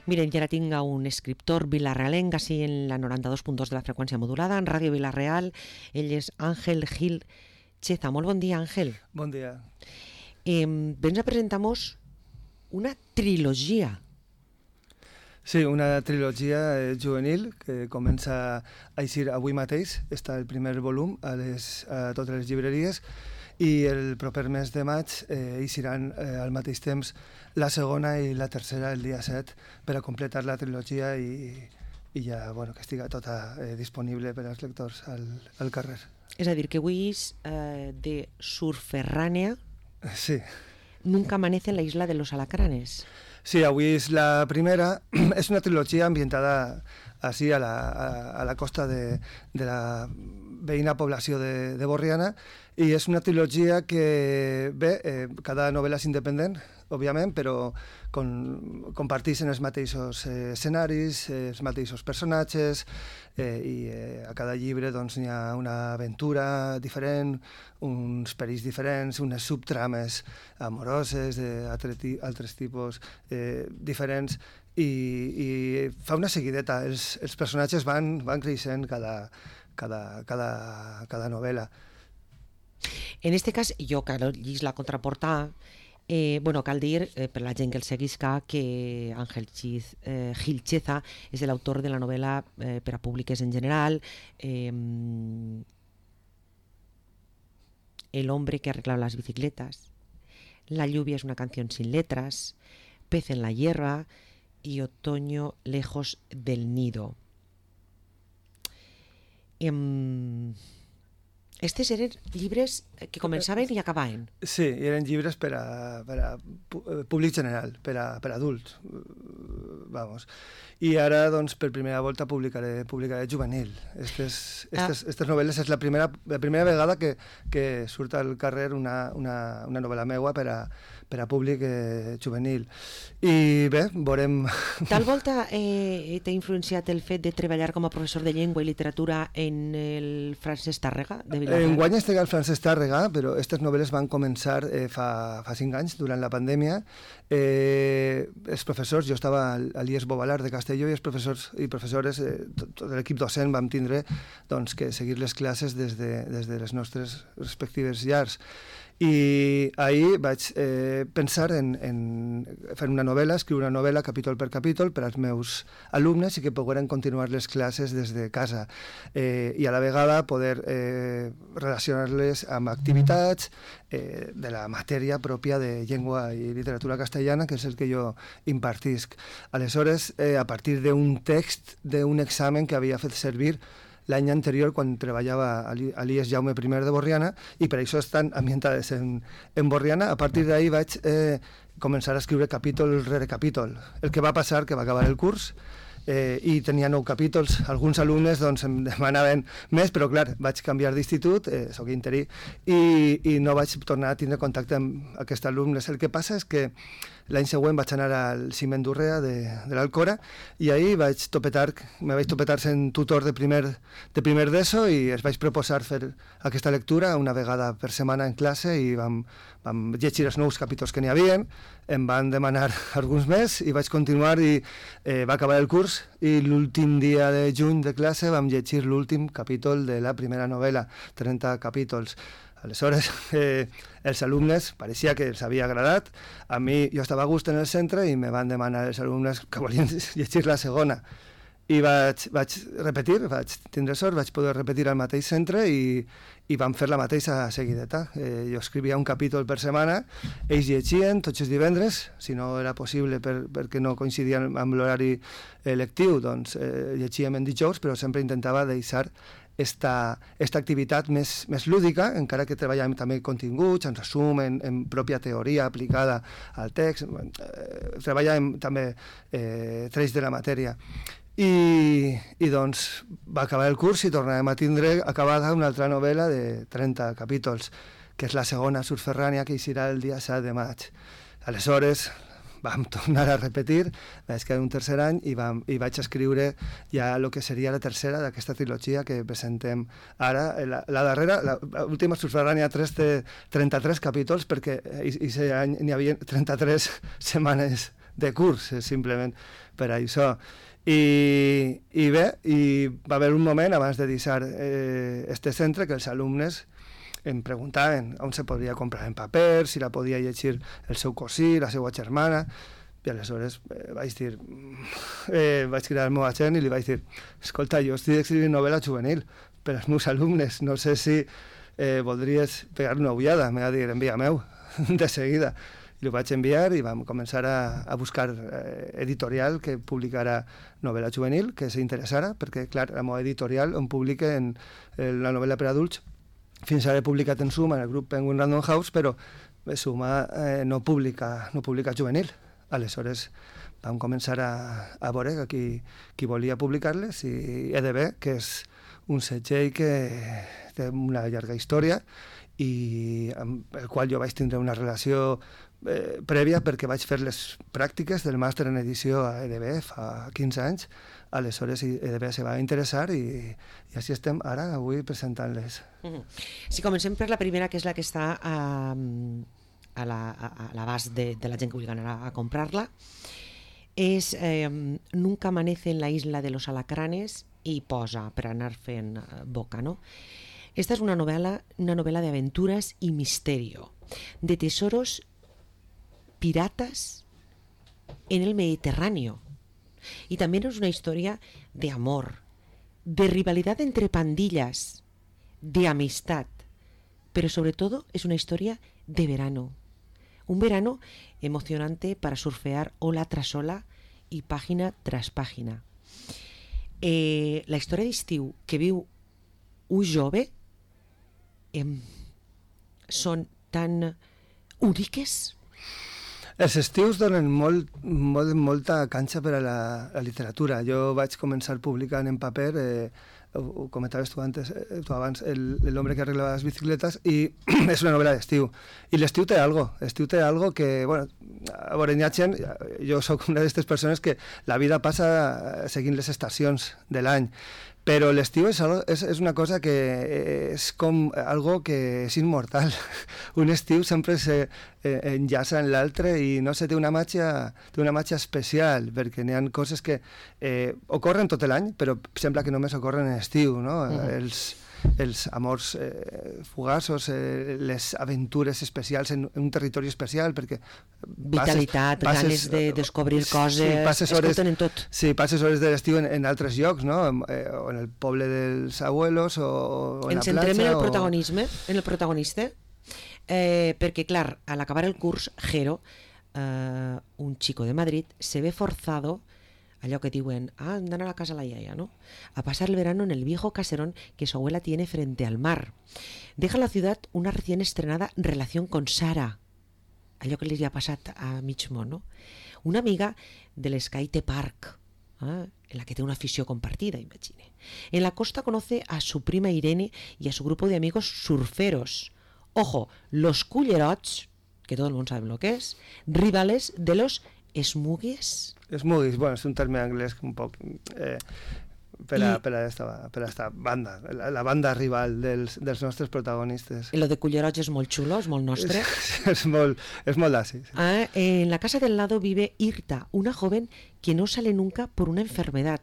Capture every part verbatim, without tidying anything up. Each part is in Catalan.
Miren, ja ara tinc un escriptor vilarrealenc, així en la noranta-dos punt dos de la freqüència modulada, en Ràdio Vilareal. Ell és Ángel Gil Cheza. Molt bon dia, Ángel. Bon dia. Eh, Vens a presentar-nos una trilogia. Sí, una trilogia eh, juvenil que comença a eixir avui mateix. Està el primer volum a, les, a totes les llibreries i el proper mes de maig eh, eixiran eh, al mateix temps la segona i la tercera el dia set per a completar la trilogia i, i ja bueno, que estiga tota eh, disponible per als lectors al, al carrer. És a dir, que avui és eh, de Surferrània. Sí. Nunca amanece en la isla de los alacranes. Sí, avui és la primera. És una trilogia ambientada així a la, a, a la costa de, de la veïna població de, de Borriana, i és una trilogia que, bé, eh, cada novel·la és independent, òbviament, però con, comparteixen els mateixos eh, escenaris, eh, els mateixos personatges, eh, i eh, a cada llibre doncs, hi ha una aventura diferent, uns perills diferents, unes subtrames amoroses d'altres tipus eh, diferents, i, i fa una seguideta. Els, els personatges van, van creixent cada, cada, cada, cada novel·la. En este cas, jo, que llegís la contraportada, eh, bueno, cal dir, eh, per la gent que el seguisca, que Ángel Chiz, eh, Gil Cheza és l'autor de la novel·la eh, per a públiques en general, eh, El hombre que arregla las bicicletas, La lluvia es una canción sin letras, Pez en la hierba i Otoño lejos del nido. Eh, Estes eren llibres que començaven i acabaven. Sí, eren llibres per a, per a públic general, per a, per a adults, vamos. I ara, doncs, per primera volta publicaré, publicaré juvenil. Estes, estes, ah. estes novel·les és la primera, la primera vegada que, que surt al carrer una, una, una novel·la meua per a, per a públic eh, juvenil. I bé, veurem... Tal volta eh, t'ha influenciat el fet de treballar com a professor de llengua i literatura en el Francesc Tàrrega, de Vilareal? Enguany estic al Francesc Tàrrega, però aquestes novel·les van començar eh, fa, fa cinc anys, durant la pandèmia. Eh, els professors, jo estava a l'I E S Bovalar de Castelló, i els professors i professores, eh, tot, tot l'equip docent, vam tindre doncs, que seguir les classes des de, des de les nostres respectives llars. I ahir vaig eh, pensar en, en fer una novel·la, escriure una novel·la capítol per capítol per als meus alumnes i que pogueren continuar les classes des de casa, eh, i a la vegada poder eh, relacionar-les amb activitats eh, de la matèria pròpia de llengua i literatura castellana, que és el que jo impartisc. Aleshores, eh, a partir d'un text d'un examen que havia fet servir l'any anterior quan treballava a l'I E S Jaume I de Borriana, i per això estan ambientades en, en Borriana. A partir d'ahir vaig eh, començar a escriure capítol rere capítol. El que va passar, que va acabar el curs, eh, i tenia nou capítols. Alguns alumnes doncs, em demanaven més, però clar, vaig canviar d'institut, eh, soc interí, i, i no vaig tornar a tindre contacte amb aquests alumnes. El que passa és que l'any següent vaig anar al Ciment d'Urrea de, de l'Alcora, i ahir vaig topetar, me vaig topetar sent tutor de primer, de primer d'ESO, i es vaig proposar fer aquesta lectura una vegada per setmana en classe, i vam, vam llegir els nous capítols que n'hi havia, em van demanar alguns més i vaig continuar, i eh, va acabar el curs, i l'últim dia de juny de classe vam llegir l'últim capítol de la primera novel·la, trenta capítols. Aleshores, eh, els alumnes pareixia que els havia agradat. A mi, jo estava a gust en el centre i me van demanar els alumnes que volien llegir la segona. I vaig, vaig repetir, vaig tindre sort, vaig poder repetir al mateix centre, i, i vam fer la mateixa seguideta. Eh, jo escrivia un capítol per setmana, ells llegien tots els divendres, si no era possible per, perquè no coincidien amb l'horari eh, lectiu, doncs eh, llegíem en dijous, però sempre intentava deixar esta, esta activitat més, més lúdica, encara que treballem també continguts, en resum, en, en pròpia teoria aplicada al text, eh, treballem també eh, trets de la matèria. I, i doncs va acabar el curs i tornàvem a tindre acabada una altra novel·la de trenta capítols, que és la segona, Surferrània, que eixirà el dia set de maig. Aleshores vam tornar a repetir, vaig quedar un tercer any i, vam, i vaig escriure ja el que seria la tercera d'aquesta trilogia que presentem ara. La, la darrera, l'última Surferrània té trenta-tres capítols, perquè aquest any n'hi havia trenta-tres setmanes de curs, simplement per això. I, i bé, i va haver un moment abans de deixar eh, este centre que els alumnes em preguntaven on se podria comprar en paper, si la podia llegir el seu cosí, la seva germana, i aleshores eh, vaig dir, eh, vaig cridar al meu agent i li vaig dir, escolta, jo estic escrivint novel·la juvenil per als meus alumnes, no sé si eh, voldries pegar una ullada, m'ha de dir, envia meu, de seguida. I ho vaig enviar i vam començar a, a buscar eh, editorial que publicara novel·la juvenil, que s'interessara, perquè, clar, la meva editorial on publiquen eh, la novel·la per adults, fins ara he publicat en Suma, en el grup Penguin Random House, però Suma eh, no publica, no publica juvenil. Aleshores vam començar a, a veure qui, qui volia publicar-les i E D B, que és un segell que té una llarga història i amb el qual jo vaig tindre una relació eh, prèvia perquè vaig fer les pràctiques del màster en edició a E D B fa quinze anys. Aleshores E D B se va interessar i, i així estem ara avui presentant-les. Mm-hmm. Si comencem per la primera, que és la que està a... Um... a l'abast de, de la gent que vulgui anar a, a comprar-la, és eh, Nunca amanece en la isla de los alacranes i posa per anar fent boca, no? Esta es una novela, una novela de aventuras y misterio, de tesoros piratas en el Mediterráneo. Y también es una historia de amor, de rivalidad entre pandillas, de amistad, pero sobre todo es una historia de verano. Un verano emocionante para surfear ola tras ola i pàgina tras pàgina. Eh, la història d'estiu que viu un jove eh, són tan úniques. Els estius donen molt, molt, molta canxa per a la, la literatura. Jo vaig començar publicant en paper, eh, ho comentaves tu, antes, eh, tu abans, el, el hombre que arreglava les bicicletes, i és una novel·la d'estiu. I l'estiu té algo, l'estiu té algo que, bueno, a veure, hi ha gent, jo sóc una d'aquestes persones que la vida passa seguint les estacions de l'any, però l'estiu és, és, és una cosa que és com algo que és immortal. Un estiu sempre se eh, enllaça en l'altre i no sé, té una màgia, té una màgia especial, perquè n'hi ha coses que eh, ocorren tot l'any, però sembla que només ocorren en estiu, no? Mm. Els, els amors eh, fugaços, eh, les aventures especials en un territori especial, perquè vitalitat, passes, ganes de descobrir coses, sí, es hores, en tot. Sí, passes hores de l'estiu en, en altres llocs, no? Eh, o en el poble dels abuelos, o, o en Ens la platja. Ens centrem en el o... protagonisme, en el protagonista, eh, perquè, clar, al acabar el curs, Jero, eh, un chico de Madrid, se ve forzado, allò que diuen, ah, andan a la casa de la iaia, ¿no? A pasar el verano en el viejo caserón que su abuela tiene frente al mar. Deja en la ciudad una recién estrenada relación con Sara, allò que li ha passat a mig món, no? Una amiga del Skate Park, ¿eh? En la que tiene una afición compartida, imagine. En la costa conoce a su prima Irene y a su grupo de amigos surferos. Ojo, los cullerots, que todo el mundo sabe lo que es, rivales de los Smugies. Smugies, bueno, és un terme anglès un poc eh, per, a, I, per, a esta, per a esta banda, la, la banda rival dels, dels nostres protagonistes. Lo de Cullerots és molt xulo, és molt nostre. És, és molt, és molt d'así. Sí. Ah, en la casa del lado vive Irta, una joven que no sale nunca por una enfermedad,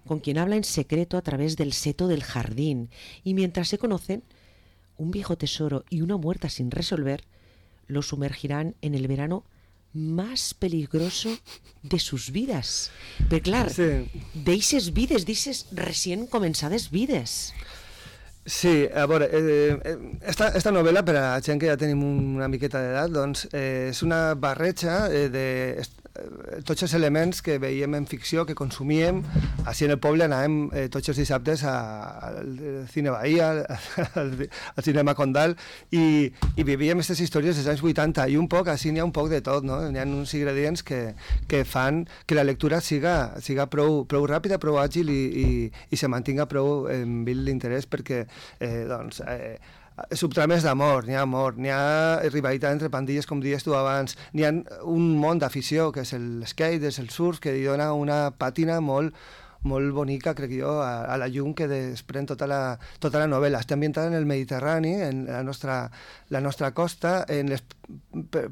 con quien habla en secreto a través del seto del jardín. Y mientras se conocen, un viejo tesoro y una muerta sin resolver lo sumergirán en el verano más peligroso de sus vidas. Però clar, sí. D'eixes vides, d'eixes recient començades vides. Sí, a veure, eh, esta, esta novel·la, per a la gent que ja tenim una miqueta d'edat, doncs eh, és una barreja eh, de eh, tots els elements que veiem en ficció, que consumíem. Així en el poble anàvem eh, tots els dissabtes a, al Cine Bahia, al, al Cinema Condal, i, i vivíem aquestes històries dels anys vuitanta, i un poc, així n'hi ha un poc de tot, no? N'hi ha uns ingredients que, que fan que la lectura siga, siga prou, prou ràpida, prou àgil i, i, i se mantinga prou en vil l'interès, perquè eh, doncs, eh, subtrames d'amor, n'hi ha amor, n'hi ha rivalitat entre pandilles, com dies tu abans, n'hi ha un món d'afició, que és el skate, és el surf, que li dona una pàtina molt, molt bonica, crec jo, a, a la llum que desprèn tota la, tota la novel·la. Està ambientada en el Mediterrani, en la nostra, la nostra costa, en les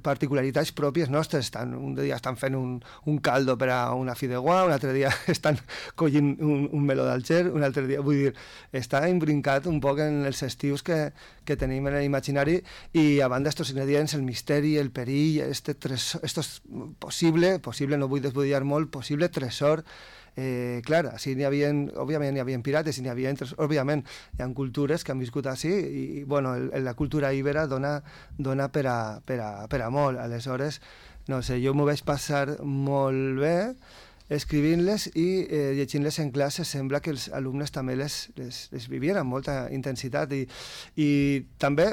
particularitats pròpies nostres. Estan, un dia estan fent un, un caldo per a una fideuà, un altre dia estan collint un, un meló d'Alger, un altre dia... Vull dir, està imbrincat un poc en els estius que, que tenim en l'imaginari i a banda estos ingredients, el misteri, el perill, este tresor, esto és possible, possible, no vull desbudellar molt, possible tresor. Eh, clar, així n'hi havia, òbviament n'hi havia pirates i n'hi havia, òbviament, hi ha cultures que han viscut així i, bueno, el, la cultura ibera dona, dona per, a, per, a, per a molt. Aleshores, no sé, jo m'ho vaig passar molt bé escrivint-les i eh, llegint-les en classe. Sembla que els alumnes també les, les, les vivien amb molta intensitat i, i també,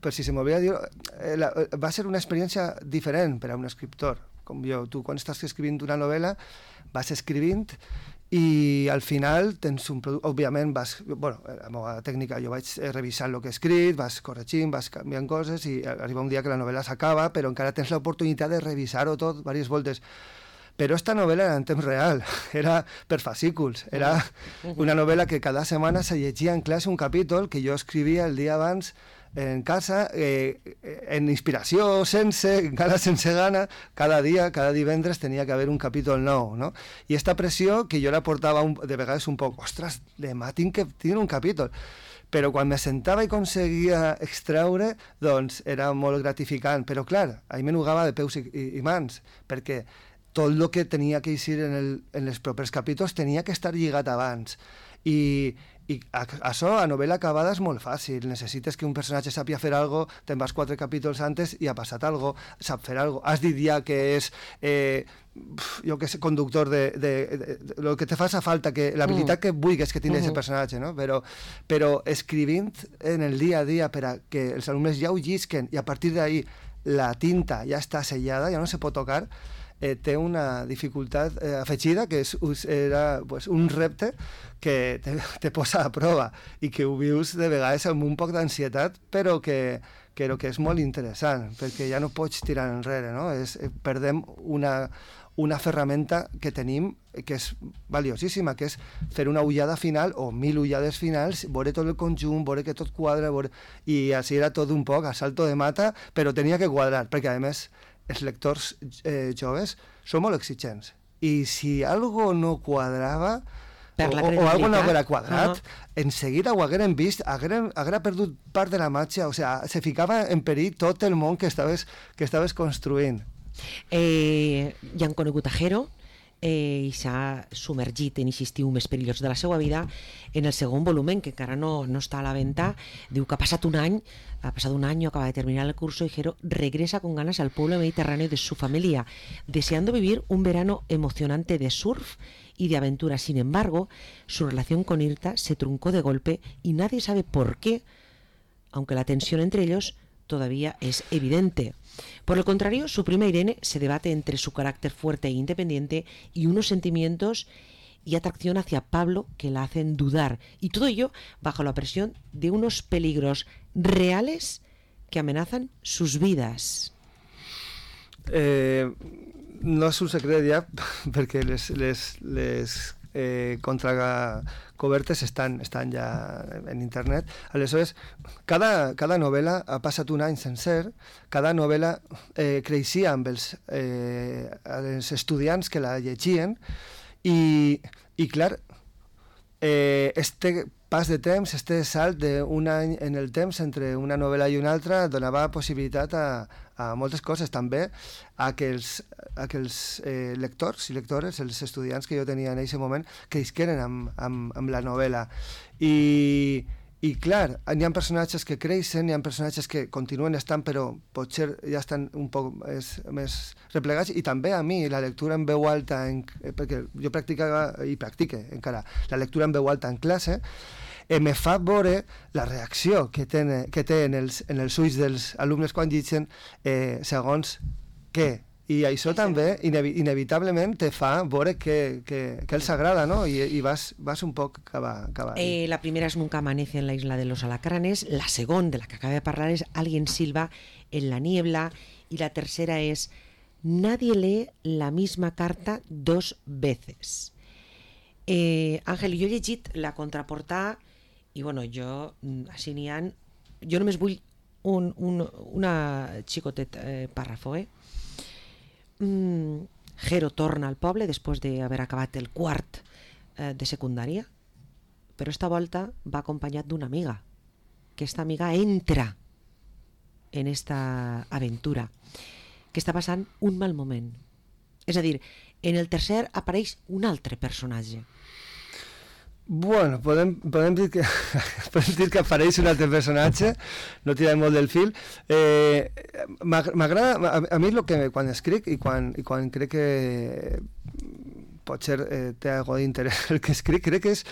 per si se m'havia de dir, eh, la, va ser una experiència diferent per a un escriptor com jo. Tu, quan estàs escrivint una novel·la, vas escrivint i al final tens un producte, òbviament vas, bueno, la meva tècnica, jo vaig revisar el que he escrit, vas corregint, vas canviant coses i arriba un dia que la novel·la s'acaba, però encara tens l'oportunitat de revisar-ho tot diverses voltes. Però esta novel·la era en temps real, era per fascículs, era una novel·la que cada setmana se llegia en classe un capítol que jo escrivia el dia abans en casa, eh, en inspiració, sense, encara sense gana, cada dia, cada divendres tenia que haver un capítol nou, no? I esta pressió que jo la portava un, de vegades un poc, ostres, demà tinc que tenir un capítol. Però quan me sentava i aconseguia extreure, doncs era molt gratificant. Però clar, ahí me nugava de peus i, i, i mans, perquè tot el que tenia que eixir en, el, en els propers capítols tenia que estar lligat abans. I, i a, això, a novel·la acabada, és molt fàcil. Necessites que un personatge sàpia fer alguna cosa, te'n vas quatre capítols antes i ha passat alguna cosa, sap fer alguna cosa. Has dit ja que és, eh, jo que sé, conductor de, de, de, de... Lo que te fa falta, que l'habilitat mm. que vulguis que tingui aquest uh -huh. personatge, no? Però, però escrivint en el dia a dia per a que els alumnes ja ho llisquen i a partir d'ahí la tinta ja està sellada, ja no se pot tocar, Eh, té una dificultat eh, afegida, que és, era pues, un repte que te, te posa a prova i que ho vius de vegades amb un poc d'ansietat, però que, que, que és molt interessant, perquè ja no pots tirar enrere, no? És, eh, perdem una, una ferramenta que tenim que és valiosíssima, que és fer una ullada final o mil ullades finals, veure tot el conjunt, veure que tot quadra, veure... i així era tot un poc a salto de mata, però tenia que quadrar, perquè a més els lectors eh, joves són molt exigents. I si algo no quadrava o, o algo no haguera quadrat, uh -huh. en seguida ho hagueren vist, haguera, haguera perdut part de la màgia, o sea, se ficava en perill tot el món que estaves, que estaves construint. Eh, ja han conegut a Jero, eh, i s'ha submergit en aquest estiu més perillós de la seva vida en el segon volumen, que encara no, no està a la venta. Diu que ha passat un any, ha pasado un año, acaba de terminar el curso y Jero regresa con ganas al pueblo mediterráneo de su familia, deseando vivir un verano emocionante de surf y de aventura. Sin embargo, su relación con Irta se truncó de golpe y nadie sabe por qué, aunque la tensión entre ellos todavía es evidente. Por el contrario, su prima Irene se debate entre su carácter fuerte e independiente y unos sentimientos y atracción hacia Pablo que la hacen dudar. Y todo ello bajo la presión de unos peligros reales que amenazan sus vidas. Eh, no és un secret ja, perquè les, les, les eh, contracobertes estan, estan ja en internet. Aleshores, cada, cada novel·la ha passat un any sencer, cada novel·la eh, creixia amb els, eh, els estudiants que la llegien i, i clar, eh, este pas de temps, este salt d'un any en el temps entre una novel·la i una altra donava possibilitat a, a moltes coses, també a que els, a que els eh, lectors i lectores, els estudiants que jo tenia en aquest moment, cresqueren amb, amb, amb la novel·la. I, i clar, hi ha personatges que creixen, hi ha personatges que continuen estant, però potser ja estan un poc més, més replegats, i també a mi la lectura en veu alta, en, perquè jo practicava i practique encara la lectura en veu alta en classe, eh, me fa veure la reacció que, ten, que té en els, en els ulls dels alumnes quan llegeixen eh, segons què. I això també, inevi inevitablement, te fa veure que, que, que els agrada, no? I, i vas, vas un poc cap a, cap a eh, la primera es Nunca amanece en la isla de los alacranes, la segunda, de la que acaba de parlar, es Alguien silba en la niebla, y la tercera es Nadie lee la misma carta dos veces. Eh, Àngel, jo he llegit la contraportada i bueno, jo, així n'hi ha, jo només vull un, un, una xicotet eh, pàrrafo, eh? Mm, Jero torna al poble després d'haver acabat el quart eh, de secundària, però esta volta va acompanyat d'una amiga. Aquesta amiga entra en esta aventura, que està passant un mal moment. És a dir, en el tercer apareix un altre personatge. Bueno, podem, podem, dir que, podem dir que apareix un altre personatge, no tirem molt del fil. Eh, M'agrada, a, a mi el que quan escric i quan, i quan crec que potser eh, té algo d'interès el que escric, crec que és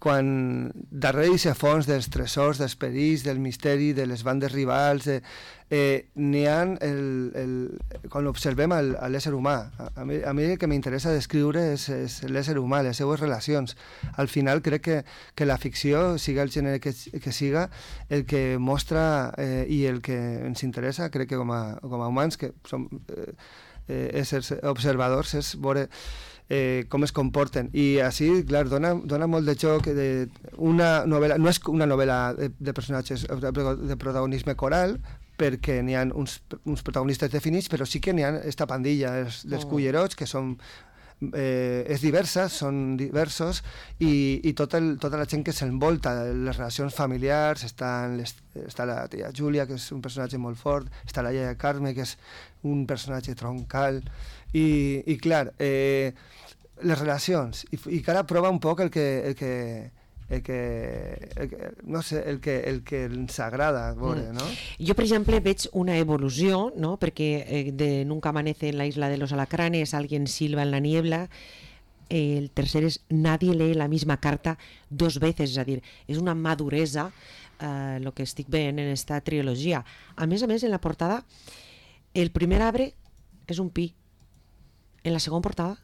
quan darrere d'aquest fons dels tresors, dels perills, del misteri, de les bandes rivals, eh, eh, n'hi ha, el, el, quan observem el, l'ésser humà, a, a, mi, a mi el que m'interessa descriure és, és l'ésser humà, les seues relacions. Al final crec que, que la ficció, siga el gènere que, que siga, el que mostra eh, i el que ens interessa, crec que com a, com a humans, que som eh, eh, éssers observadors, és veure Eh, com es comporten, i així, clar, dona, dona molt de joc de una novel·la, no és una novel·la de, de personatges de protagonisme coral, perquè n'hi ha uns, uns protagonistes definits, però sí que n'hi ha esta pandilla els, dels oh. cullerots, que són eh, és diversa, són diversos, i, i tot el, tota la gent que s'envolta, les relacions familiars, estan les, està la tia Júlia, que és un personatge molt fort, està la iaia Carme, que és un personatge troncal, i, i clar, eh, les relacions, i, i que ara prova un poc el que, el que, el que, el que no sé, el que, el que ens agrada veure, no? Jo, per exemple, veig una evolució, no? Perquè eh, de Nunca amanece en la isla de los alacranes, Alguien silba en la niebla, eh, el tercer és Nadie lee la misma carta dos veces, és a dir, és una maduresa el eh, que estic veient en esta trilogia. A més a més, en la portada, el primer arbre és un pi, en la segona portada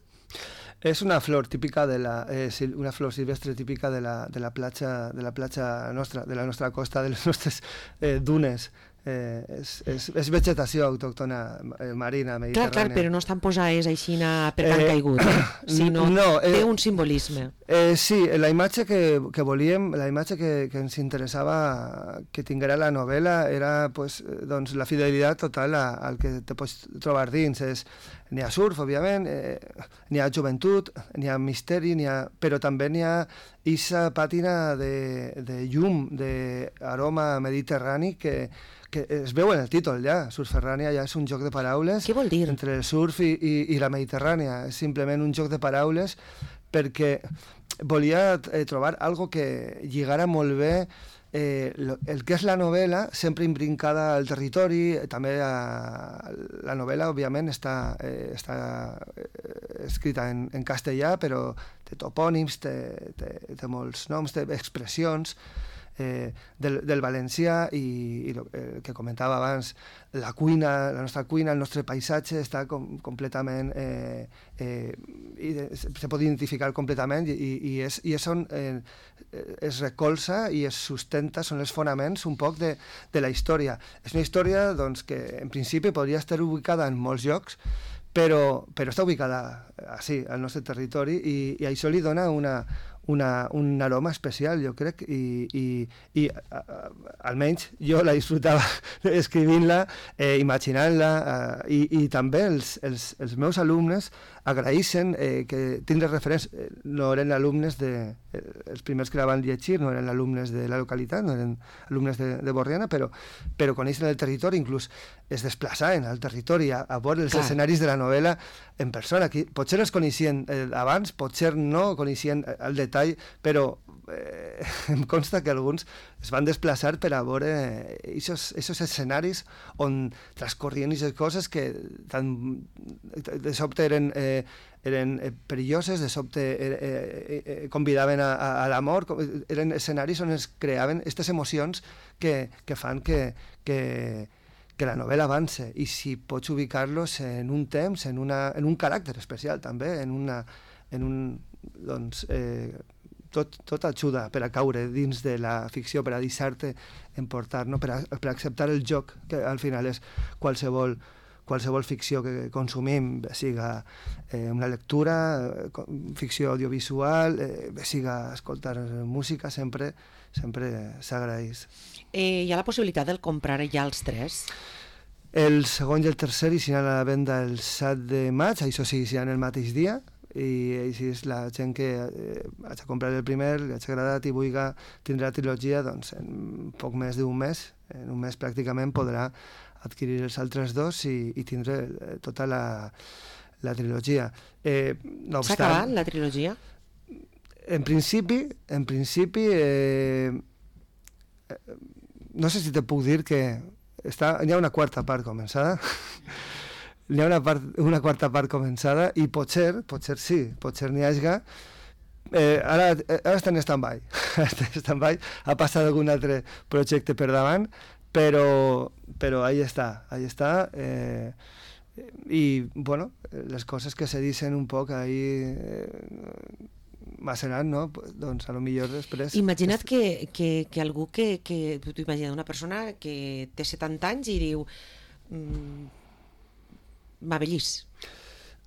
és una flor típica de la eh, una flor silvestre típica de la, de la platja de la platja nostra, de la nostra costa, de les nostres eh, dunes. Eh, és, és, és vegetació autòctona eh, marina, mediterrània. Clar, clar, però no estan posades així per tant eh, caigut, eh? sinó no, eh, té un simbolisme. Eh, sí, la imatge que, que volíem, la imatge que, que ens interessava que tinguera la novel·la era pues, doncs, la fidelitat total a, al que te pots trobar dins. És, n'hi ha surf, òbviament, eh, n'hi ha joventut, n'hi ha misteri, n'hi ha, però també n'hi ha aquesta pàtina de, de llum, d'aroma mediterrani que que es veu en el títol ja, Surferrània ja és un joc de paraules. Què vol dir? Entre el surf i, i, i la Mediterrània, és simplement un joc de paraules perquè volia eh, trobar algo que lligara molt bé eh, lo, el que és la novel·la, sempre imbrincada al territori, també a, la novel·la òbviament està, eh, està eh, escrita en, en castellà, però té topònims, té, té, té molts noms, té expressions, Eh, del, del valencià i, i el eh, que comentava abans, la cuina, la nostra cuina, el nostre paisatge està com, completament eh, eh, i de, se pot identificar completament i, i, és, i és on eh, es recolza i es sustenta, són els fonaments un poc de, de la història. És una història doncs, que en principi podria estar ubicada en molts llocs, però, però està ubicada així, al nostre territori, i, i això li dona una Una, un aroma especial, jo crec, i, i, i a, a, almenys jo la disfrutava escrivint-la, eh, imaginant-la, eh, i, i també els, els, els meus alumnes agraeixen eh, que tindre referents, eh, no eren alumnes de, eh, els primers que la van llegir, no eren alumnes de la localitat, no eren alumnes de, de Borriana, però, però coneixen el territori, inclús es desplaçaven al territori a, a veure els Clar. escenaris de la novel·la en persona. Qui, potser els coneixien eh, abans, potser no coneixien el detall, però eh, em consta que alguns es van desplaçar per a veure aquests escenaris on transcorrien aquestes coses que tan, de sobte eren, eh, eren perilloses, de sobte eh, eh, convidaven a, a, a l'amor, eren escenaris on es creaven aquestes emocions que, que fan que, que, que la novel·la avance, i si pots ubicar-los en un temps, en, una, en un caràcter especial també, en, una, en un... doncs... Eh, Tot, tot ajuda per a caure dins de la ficció, per a deixar-te emportar, no? per, a, per a acceptar el joc, que al final és qualsevol, qualsevol ficció que consumim, bé siga eh, una lectura, eh, ficció audiovisual, eh, bé siga escoltar música, sempre, sempre s'agraeix. Eh, hi ha la possibilitat de comprar ja els tres? El segon i el tercer hi seran a la venda el set de maig, això sí, seran el mateix dia, i així és la gent que eh, haig de comprar el primer, li hagi agradat i vulgui tindre la trilogia, doncs en poc més d'un mes, en un mes pràcticament podrà adquirir els altres dos i, i tindre tota la, la trilogia. Eh, no S'ha acabat la trilogia? En principi, en principi eh, no sé si te puc dir que està, hi ha una quarta part començada. Hi ha una, part, una quarta part començada i potser, potser sí, potser n'hi hagi. Eh, ara, ara està en stand-by. Està en stand-by. Ha passat algun altre projecte per davant, però, però ahí està, ahí està. Eh, I, bueno, les coses que se dicen un poc ahí eh, macerant, no? Doncs a lo millor després... Imagina't que, que, que algú que... que tu t'imagines una persona que té setanta anys i diu... Mm, m'avellís.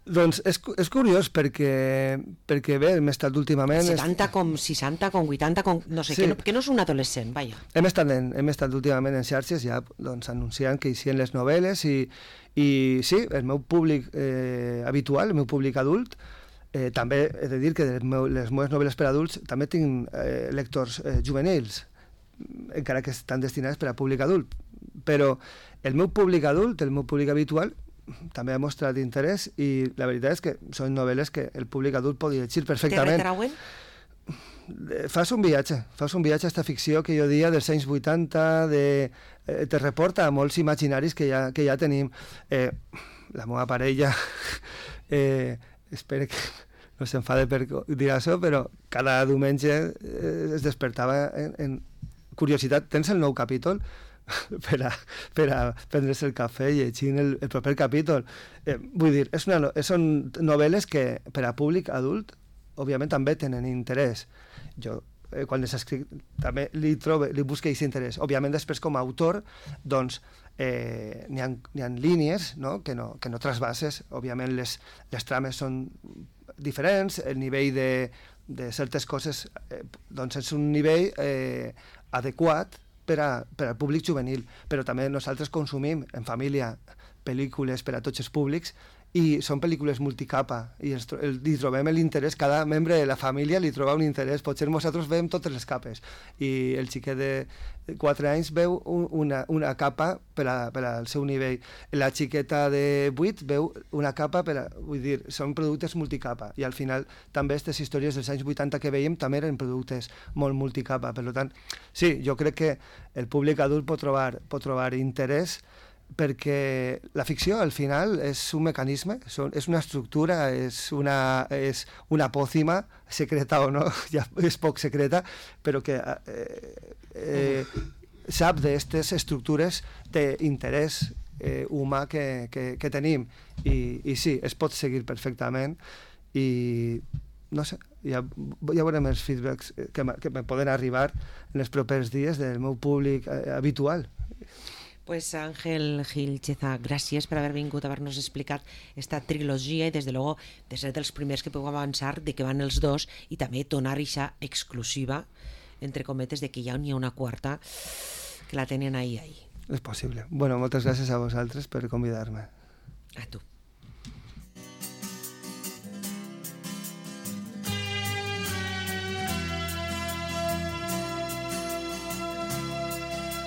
Doncs és, és curiós perquè, perquè bé, hem estat últimament... setanta com seixanta, com vuitanta, com, no sé, sí. que, no, que no és un adolescent, vaja. Hem estat, en, hem estat últimament en xarxes ja doncs, anunciant que hi sien les novel·les i, i sí, el meu públic eh, habitual, el meu públic adult, eh, també he de dir que les, meu, les meves novel·les per adults també tinc eh, lectors eh, juvenils, encara que estan destinats per a públic adult, però el meu públic adult, el meu públic habitual, també ha mostrat interès i la veritat és que són novel·les que el públic adult pot llegir perfectament. Te retrauen? Fas un viatge, fas un viatge a esta ficció que jo dia dels anys vuitanta, de, eh, te reporta a molts imaginaris que ja, que ja tenim. Eh, la meva parella, eh, espero que no s'enfade per dir això, però cada diumenge eh, es despertava en, en curiositat. Tens el nou capítol? per a, per a prendre's el cafè i llegint el, el proper capítol. Eh, vull dir, és una, són novel·les que per a públic adult, òbviament, també tenen interès. Jo, eh, quan les escric, també li, trobe, li busque aquest interès. Òbviament, després, com a autor, doncs, eh, n'hi ha, n'hi ha línies, no? Que, no, que no trasbases. Òbviament, les, les trames són diferents, el nivell de, de certes coses eh, doncs és un nivell eh, adequat per, a, per al públic juvenil, però també nosaltres consumim en família pel·lícules per a tots els públics i són pel·lícules multicapa i els, el, li trobem l'interès, cada membre de la família li troba un interès, potser nosaltres veiem totes les capes i el xiquet de quatre anys veu un, una, una capa per, a, per al seu nivell, la xiqueta de vuit veu una capa per a, vull dir, són productes multicapa i al final també aquestes històries dels anys vuitanta que veiem també eren productes molt multicapa, per tant, sí, jo crec que el públic adult pot trobar, pot trobar interès perquè la ficció al final és un mecanisme, és una estructura, és una, és una pòcima, secreta o no, ja és poc secreta, però que eh, eh, sap d'aquestes estructures d'interès eh, humà que, que, que tenim I, i sí, es pot seguir perfectament i no sé, ja, ja veurem els feedbacks que, que me poden arribar en els propers dies del meu públic eh, habitual. Pues Ángel Gil Cheza, gràcies per haver vingut a haver-nos explicat esta trilogia i des de luego de ser dels primers que puc avançar de que van els dos i també donar aquesta exclusiva entre cometes de que ja n'hi ha una quarta que la tenen ahí ahí. És possible. Bueno, moltes gràcies a vosaltres per convidar-me. A tu.